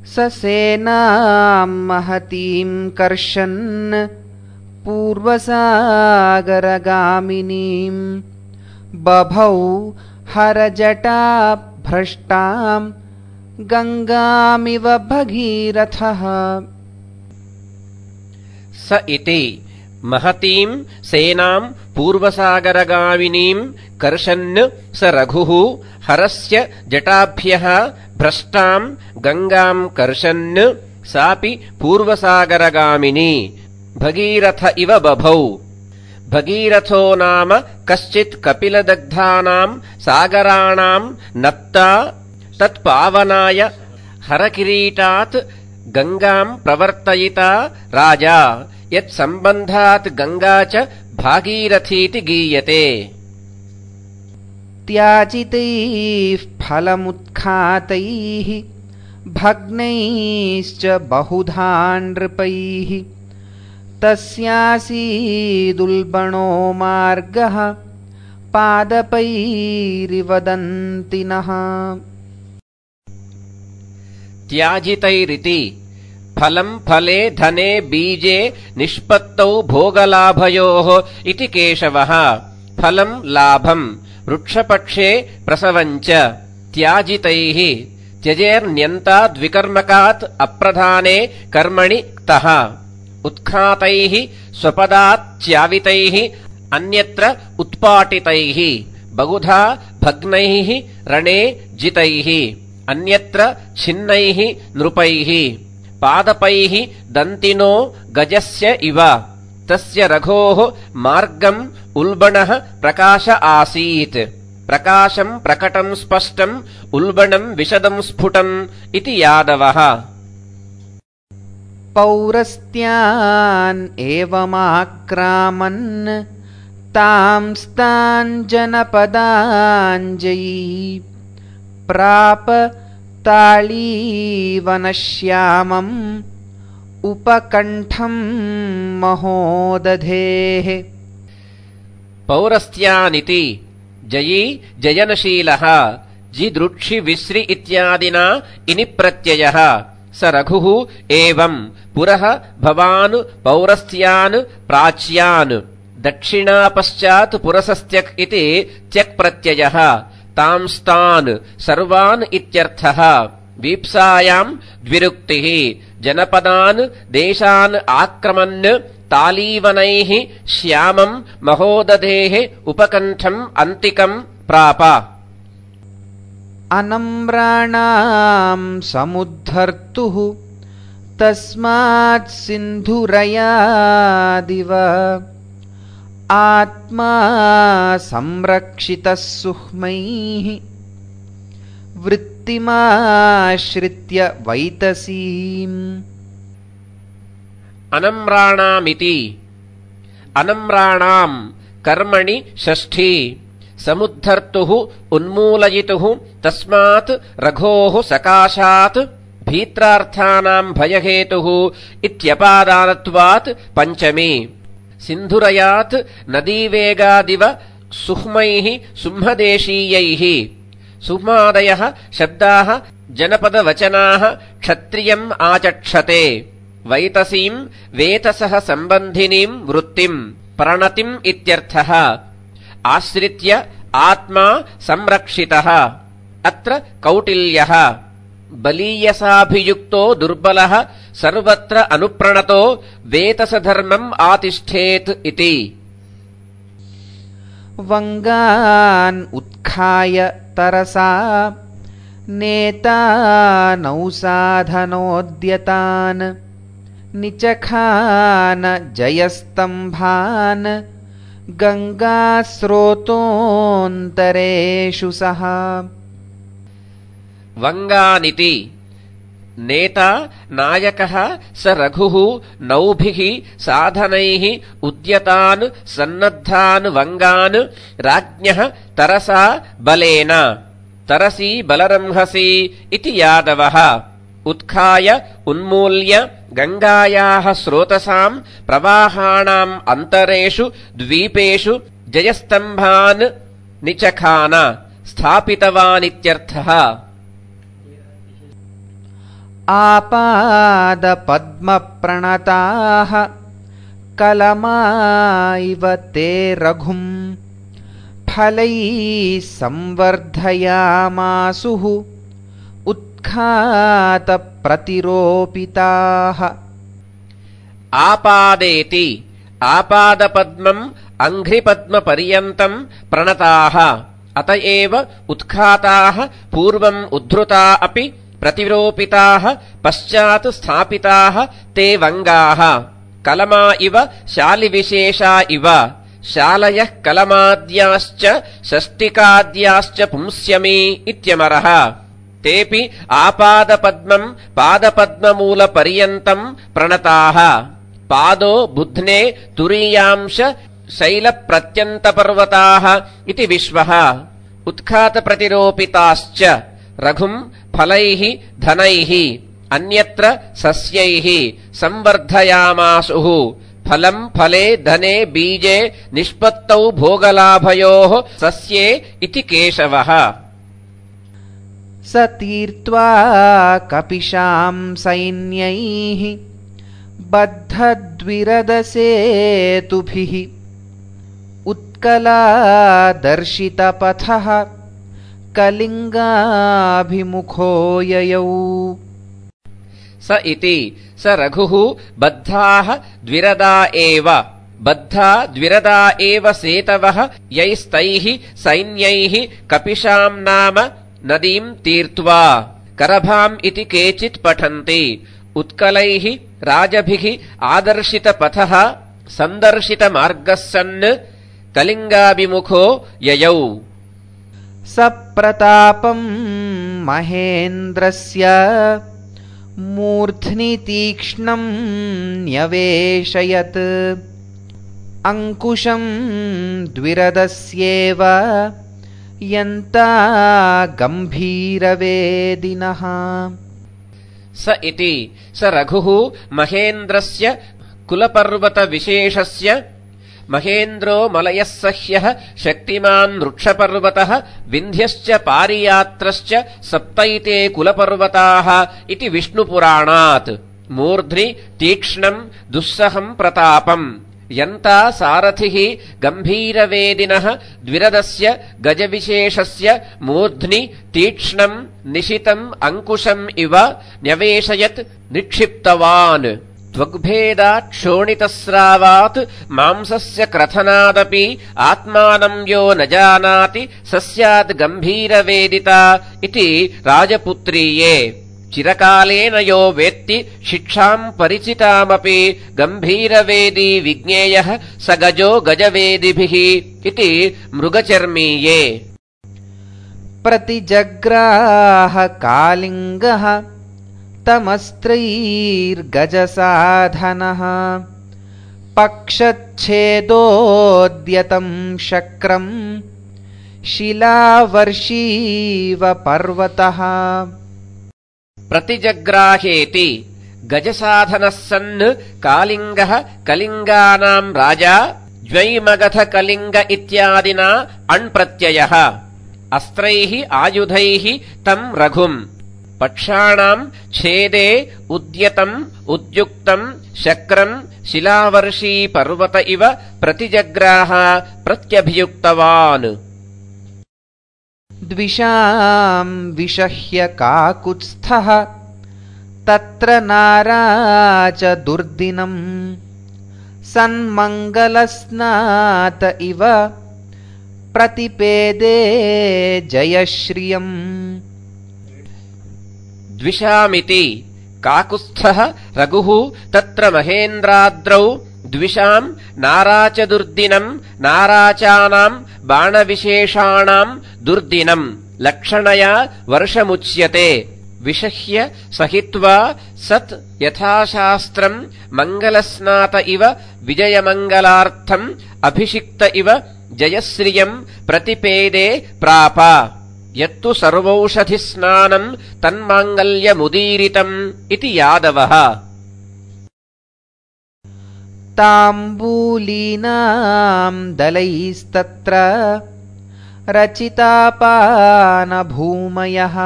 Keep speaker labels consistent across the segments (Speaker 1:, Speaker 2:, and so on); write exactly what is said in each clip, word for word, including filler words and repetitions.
Speaker 1: ससेनां महतीं कर्षन् पूर्वसागरगामिनीं बभौ हरजटाभ्रष्टां गंगामिव भगीरथः।
Speaker 2: स इति महतीं सेनां पूर्वसागरगामिनीं कर्षन् स रघुः हरस्य जटाभ्यः भ्रष्टां गंगां कर्षन् सापि पूर्वसागरगामिनी भगीरथ इव बभौ। भगीरथो नाम कश्चित् कपिलदग्धानां सागराणां नप्ता तत्पावनाय हरकिरीटात् गंगां प्रवर्तयिता राजा, यत्सम्बन्धात् गंगा च भागीरथीति गीयते।
Speaker 1: त्याजितैः फलमुत्खातैः भग्नैश्च बहुधा नृपैः तस्यासीदुल्बणो मार्गः पादपैरिव दन्तिनः।
Speaker 2: त्याजितैरिति फलं फले धने बीजे निष्पत्तौ भोगलाभयोः इति केशवः। फलं लाभं वृक्षपक्षे प्रसवञ्च त्याजितैः त्यजेर्न्यन्ताद्विकर्मकात् अप्रधाने कर्मणि क्तः। उत्खातैः स्वपदाच्चावितैः अन्यत्र उत्पाटितैः बहुधा भग्नैः रणे जितैः अन्यत्र छिन्नैः नृपैः पादपैः दन्तिनो गजस्य इव। तस्य रघोः मार्गम् उल्बणः प्रकाश आसीत्। प्रकाशं प्रकटं स्पष्टम् उल्बणं विशदं स्फुटम् इति यादवः।
Speaker 1: पौरस्त्यान् एवमाक्रामन् तांस्तान् जनपदाञ्जयी प्राप ताळीवनश्यामम् उपकण्ठं महोदधेः।
Speaker 2: पौरस्त्यानिति जयी जयनशीलः जिदृक्षि विश्रि इत्यादिना इनि प्रत्ययः। स रघुः एवं पुरः भवान् पौरस्त्यान् प्राच्यान् दक्षिणापश्चात् पुरसस्त्यक् इति त्यक् प्रत्ययः। तांस्तान् सर्वान् इत्यर्थः। वीप्सायां द्विरुक्तिः। जनपदान् देशान् आक्रमन् तालीवनैः श्यामं महोदधेः उपकण्ठम् अन्तिकं प्राप।
Speaker 1: अनम्राणां समुद्धर्तुः तस्मात् सिन्धुरयादिव आत्मा संरक्षितः सुह्मैः वृत्तिमाश्रित्य वैतसीम्।
Speaker 2: अनम्राणामिति अनम्राणां कर्मणि षष्ठी। समुद्धर्तुः उन्मूलयितुः तस्मात् रघोः सकाशात् भीत्रार्थानां भयहेतुः इत्यपादानत्वात् पञ्चमी। सिन्धुरयात् नदीवेगादिव सुह्मैः सुम्हदेशीयैः। सुह्मादयः शब्दाः जनपदवचनाः क्षत्रियम् आचक्षते। वैतसीं वेतसः सम्बन्धिनीं वृत्तिं प्रणतिम् इत्यर्थः। आश्रित्य आत्मा संरक्षितः। अत्र कौटिल्यः। बलीयसाभियुक्तो दुर्बलः सर्वत्र अनुप्रणतो वेतसधर्मम् आतिष्ठेत् इति।
Speaker 1: वंगान् उत्खाय तरसा नेतानौसाधनोद्यतान् निचखान जयस्तंभान् गंगास्रोतोऽन्तरेषु सः।
Speaker 2: वंगानिति नेता नायकः स रघुः नौभिः साधनैः उद्यतान् सन्नद्धान् वंगान् राज्ञः तरसा बलेन। तरसी बलरंहसी इति यादवः। उत्खाय उन्मूल्य गंगायाः स्रोतसां प्रवाहाणाम् अन्तरेषु द्वीपेषु जयस्तंभान् निचखान स्थापितवानित्यर्थः।
Speaker 1: आपादपद्मप्रणताः कलमा इव ते रघुम् फलैः संवर्धयामासुः उत्खातप्रतिरोपिताः।
Speaker 2: आपादेति आपादपद्मम् अङ्घ्रिपद्मपर्यन्तम् प्रणताः अत एव उत्खाताः पूर्वम् उद्धृता अपि प्रतिरोपिताः पश्चात् स्थापिताः ते वङ्गाः कलमा इव शालिविशेषा इव शालयः कलमाद्याश्च षष्टिकाद्याश्च पुंस्यमी इत्यमरः। तेऽपि आपादपद्मम् पादपद्ममूलपर्यन्तम् प्रणताः। पादो बुध्ने तुरीयांश शैलप्रत्यन्तपर्वताः इति विश्वः। उत्खातप्रतिरोपिताश्च रघुम् फलैः धनैः अन्यत्र सस्यैः संवर्धयामासुः। फलम् फले धने बीजे निष्पत्तौ भोगलाभयोः सस्ये इति केशवः।
Speaker 1: स तीर्त्वा कपिशां सैन्यैः बद्धद्विरदसेतुभिः उत्कलादर्शितपथः कलिङ्गाभिमुखो ययौ।
Speaker 2: स इति स रघुः बद्धाः द्विरदा एव बद्धा द्विरदा एव सेतवः यैस्तैः सैन्यैः कपिशाम् नाम नदीम् तीर्त्वा करभाम् इति केचित् पठन्ति। उत्कलैः राजभिः आदर्शितपथः सन्दर्शितमार्गः सन् कलिङ्गाभिमुखो ययौ।
Speaker 1: स प्रतापम् महेन्द्रस्य मूर्ध्नि तीक्ष्णम् न्यवेशयत् अंकुशम् द्विरदस्येव यन्ता गम्भीरवेदिनः।
Speaker 2: स इति स रघुः महेन्द्रस्य कुलपर्वतविशेषस्य महेन्द्रो मलयः सह्यः शक्तिमान् वृक्षपर्वतः विन्ध्यश्च पारियात्रश्च सप्तैते कुलपर्वताः इति विष्णुपुराणात्। मूर्ध्नि तीक्ष्णम् दुस्सहम् प्रतापम् यन्ता सारथिः गम्भीरवेदिनः द्विरदस्य गजविशेषस्य मूर्ध्नि तीक्ष्णम् निशितम् अंकुशम् इव न्यवेशयत् निक्षिप्तवान्। त्वग्भेदात् क्षोणितस्रावात् मांसस्य क्रथनादपि आत्मानम् यो न जानाति स स्यात् गम्भीरवेदिता इति राजपुत्रीये। चिरकालेन यो वेत्ति शिक्षाम् परिचितामपि गम्भीरवेदी विज्ञेयः स गजो गजवेदिभिः इति मृगचर्मीये।
Speaker 1: प्रतिजग्राह कालिङ्गः तमस्त्रैर्गजसाधनः पक्षच्छेदोद्यतम् शक्रम् शिलावर्षीव पर्वतः।
Speaker 2: प्रतिजग्राहेति गजसाधनः सन् कालिङ्गः कलिङ्गानाम् राजा ज्वैमगध कलिङ्ग इत्यादिना अण्प्रत्ययः। अस्त्रैः आयुधैः तम् रघुम् पक्षाणाम् छेदे उद्यतम् उद्युक्तम् शक्रम् शिलावर्षी पर्वत इव प्रतिजग्राह प्रत्यभियुक्तवान्।
Speaker 1: द्विषाम् विषह्य काकुत्स्थः तत्र नाराच दुर्दिनम् सन्मङ्गलस्नात इव प्रतिपेदे जयश्रियम्।
Speaker 2: द्विषामिति काकुत्स्थः रघुः तत्र महेन्द्राद्रौ द्विषाम् नाराच दुर्दिनम् नाराचानाम् बाणविशेषाणाम् दुर्दिनम् लक्षणया वर्षमुच्यते। विषह्य सहित्वा सत् यथाशास्त्रम् मङ्गलस्नात इव विजयमङ्गलार्थम् अभिषिक्त इव जयश्रियम् प्रतिपेदे प्राप। यत्तु सर्वौषधिस्नानम् तन्माङ्गल्यमुदीरितम् इति यादवः।
Speaker 1: ताम्बूलीनाम् दलैस्तत्र रचितापानभूमयः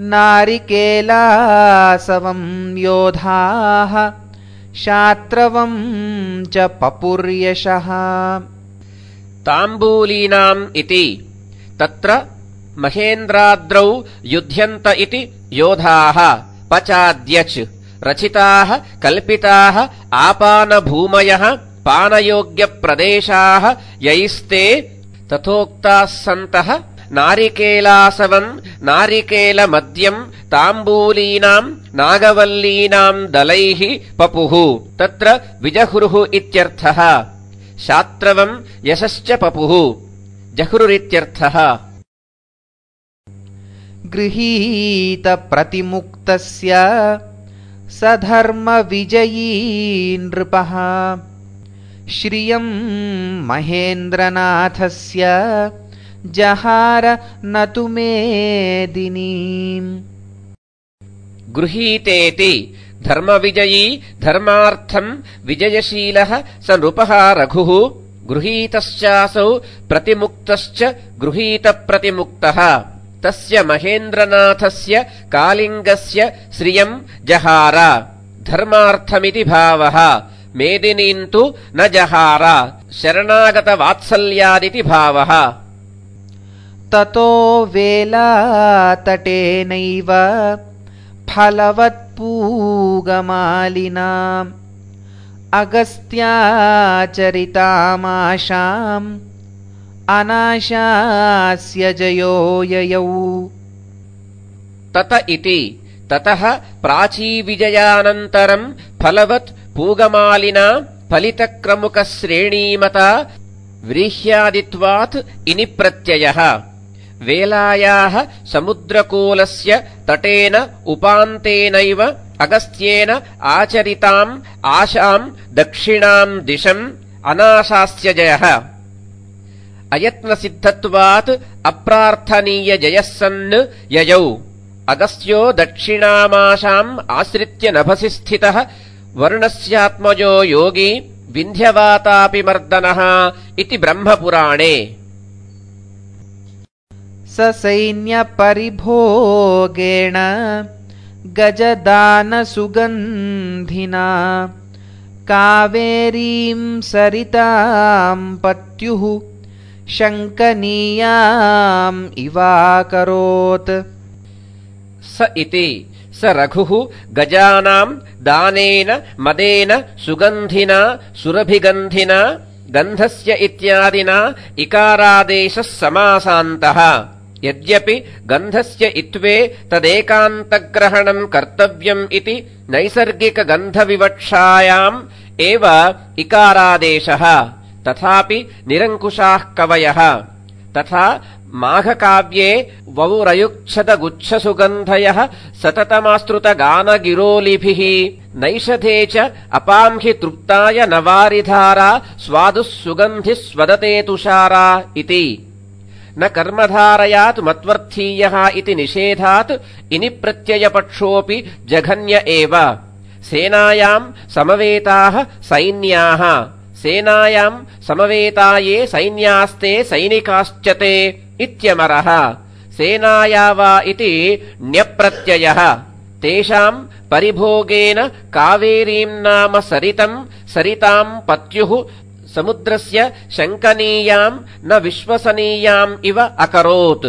Speaker 1: नारिकेलासवं योधाः शात्रवं च पपुर्यशः।
Speaker 2: ताम्बूलीनाम् इति तत्र महेन्द्राद्रौ युध्यन्त इति योधाः पचाद्यच् रचिताः कल्पिताः आपानभूमयः पानयोग्यप्रदेशाः यैस्ते तथोक्ताः सन्तः नारिकेलासवम् नारिकेलमद्यम् ताम्बूलीनाम् नागवल्लीनाम् दलैः पपुः तत्र विजहुरुः इत्यर्थः। शात्रवम् यशश्च पपुः जहुरुरित्यर्थः।
Speaker 1: गृहीतप्रतिमुक्तस्य सधर्मविजयी नृपः श्रियं महेन्द्रनाथस्य जहार न तु मेदिनीम्।
Speaker 2: गृहीतेति धर्मविजयी धर्मार्थम् विजयशीलः स नृपः रघुः गृहीतश्चासौ प्रतिमुक्तश्च गृहीतप्रतिमुक्तः तस्य महेन्द्रनाथस्य कालिङ्गस्य श्रियम् जहार धर्मार्थमिति भावः। मेदिनीम् तु न जहार शरणागतवात्सल्यादिति भावः।
Speaker 1: ततो वेलातटेनैव फलवत्पूगमालिनाम् अगस्त्याचरितामाशाम् अनाशास्य जयो ययौ।
Speaker 2: तत इति ततः प्राचीविजयानन्तरम् फलवत् पूगमालिना फलितक्रमुकश्रेणीमता व्रीह्यादित्वात् इनि प्रत्ययः। वेलायाः समुद्रकूलस्य तटेन उपान्तेनैव अगस्त्येन आचरिताम् आशाम् दक्षिणाम् दिशम् अनाशास्य जयः। अयत्नसिद्धत्वात् अप्रार्थनीयजयः सन् ययौ अगस्त्यो दक्षिणामाशाम् आश्रित्य नभसि स्थितः वरुणस्यात्मजो योगी विन्ध्यवातापि मर्दनः इति ब्रह्मपुराणे।
Speaker 1: ससैन्यपरिभोगेण गजदानसुगन्धिना कावेरीं सरितां पत्युः शङ्कनीयाम् इवाकरोत्।
Speaker 2: स इति स रघुः गजानाम् दानेन मदेन सुगन्धिना सुरभिगन्धिना गन्धस्य इत्यादिना इकारादेशः समासान्तः। यद्यपि गन्धस्य इत्वे तदेकान्तग्रहणम् कर्तव्यम् इति नैसर्गिकगन्धविवक्षायाम् एव इकारादेशः तथापि निरङ्कुशाः कवयः। तथा माघकाव्ये वौरयुच्छदगुच्छसुगन्धयः सततमास्तृतगानगिरोलिभिः नैषधे च अपांहि तृप्ताय नवारिधारा स्वादुः सुगन्धिः स्वदते तुषारा इति। न कर्मधारयात् मत्वर्थीयः इति निषेधात् इनि प्रत्ययपक्षोऽपि जघन्य एव। सेनायाम् समवेताः सैन्याः सेनायाम् समवेता ये सैन्यास्ते सैनिकाश्च ते इत्यमरः। सेनाया वा इति ण्यप्रत्ययः। तेषाम् परिभोगेन कावेरीम् नाम सरितम् सरिताम् पत्युः समुद्रस्य शङ्कनीयाम् न विश्वसनीयाम् इव अकरोत्।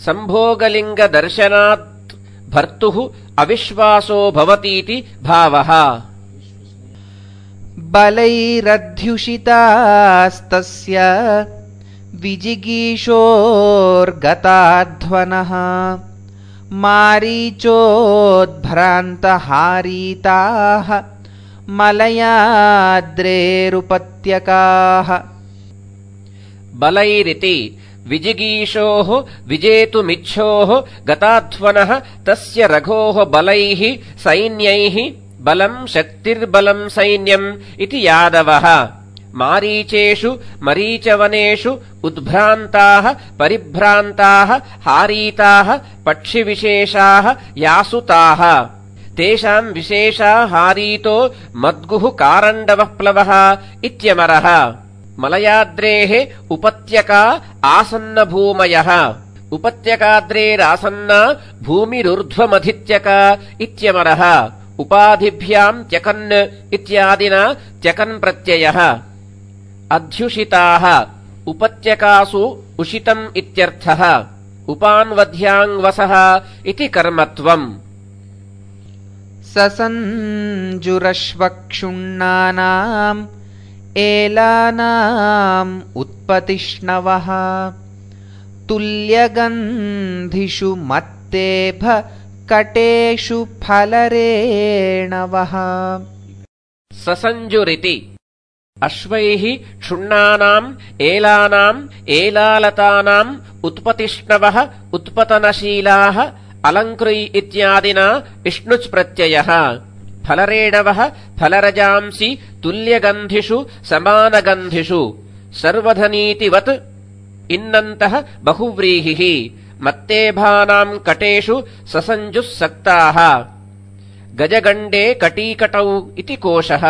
Speaker 2: सम्भोगलिङ्गदर्शनात् भर्तुः अविश्वासो भवतीति भावः।
Speaker 1: बलैरध्युषितास्तस्य विजिगीषोर्गताध्वनः मारीचोद्भ्रान्तहारीताः मलयाद्रेरुपत्यकाः।
Speaker 2: बलैरिति विजिगीषोः विजेतुमिच्छोः गताध्वनः तस्य रघोः बलैः सैन्यैः बलम् शक्तिर्बलम् सैन्यम् इति यादवः। मारीचेषु मरीचवनेषु उद्भ्रान्ताः परिभ्रान्ताः हारीताः पक्षिविशेषाः यासुताः। तेषाम् विशेषा हारीतो मद्गुः कारण्डवः प्लवः इत्यमरः। मलयाद्रेः उपत्यका आसन्नभूमयः उपत्यकाद्रेरासन्ना भूमिरुर्ध्वमधित्यका इत्यमरः उपाधिभ्याम् त्यकन् इत्यादिना त्यकन् प्रत्ययः अध्युषिताः उपत्यकासु उषितम् इत्यर्थः उपान्वध्याङ्वसः इति कर्मत्वम्
Speaker 1: ससञ्जुरश्वक्षुण्णानाम् एलानाम् उत्पतिष्णवः तुल्यगन्धिषु मत्तेभ कटेषु फलरेणवः
Speaker 2: ससञ्जुरिति अश्वैः क्षुण्णानाम् एलानाम् एलालतानाम् उत्पतिष्णवः उत्पतनशीलाः अलङ्कृ इत्यादिना इष्णुच् प्रत्ययः फलरेणवः फलरजांसि तुल्यगन्धिषु समानगन्धिषु सर्वधनीतिवत् इन्नन्तः बहुव्रीहिः मत्तेभानाम् कटेषु ससञ्जुः सक्ताः गजगण्डे कटीकटौ इति कोशः।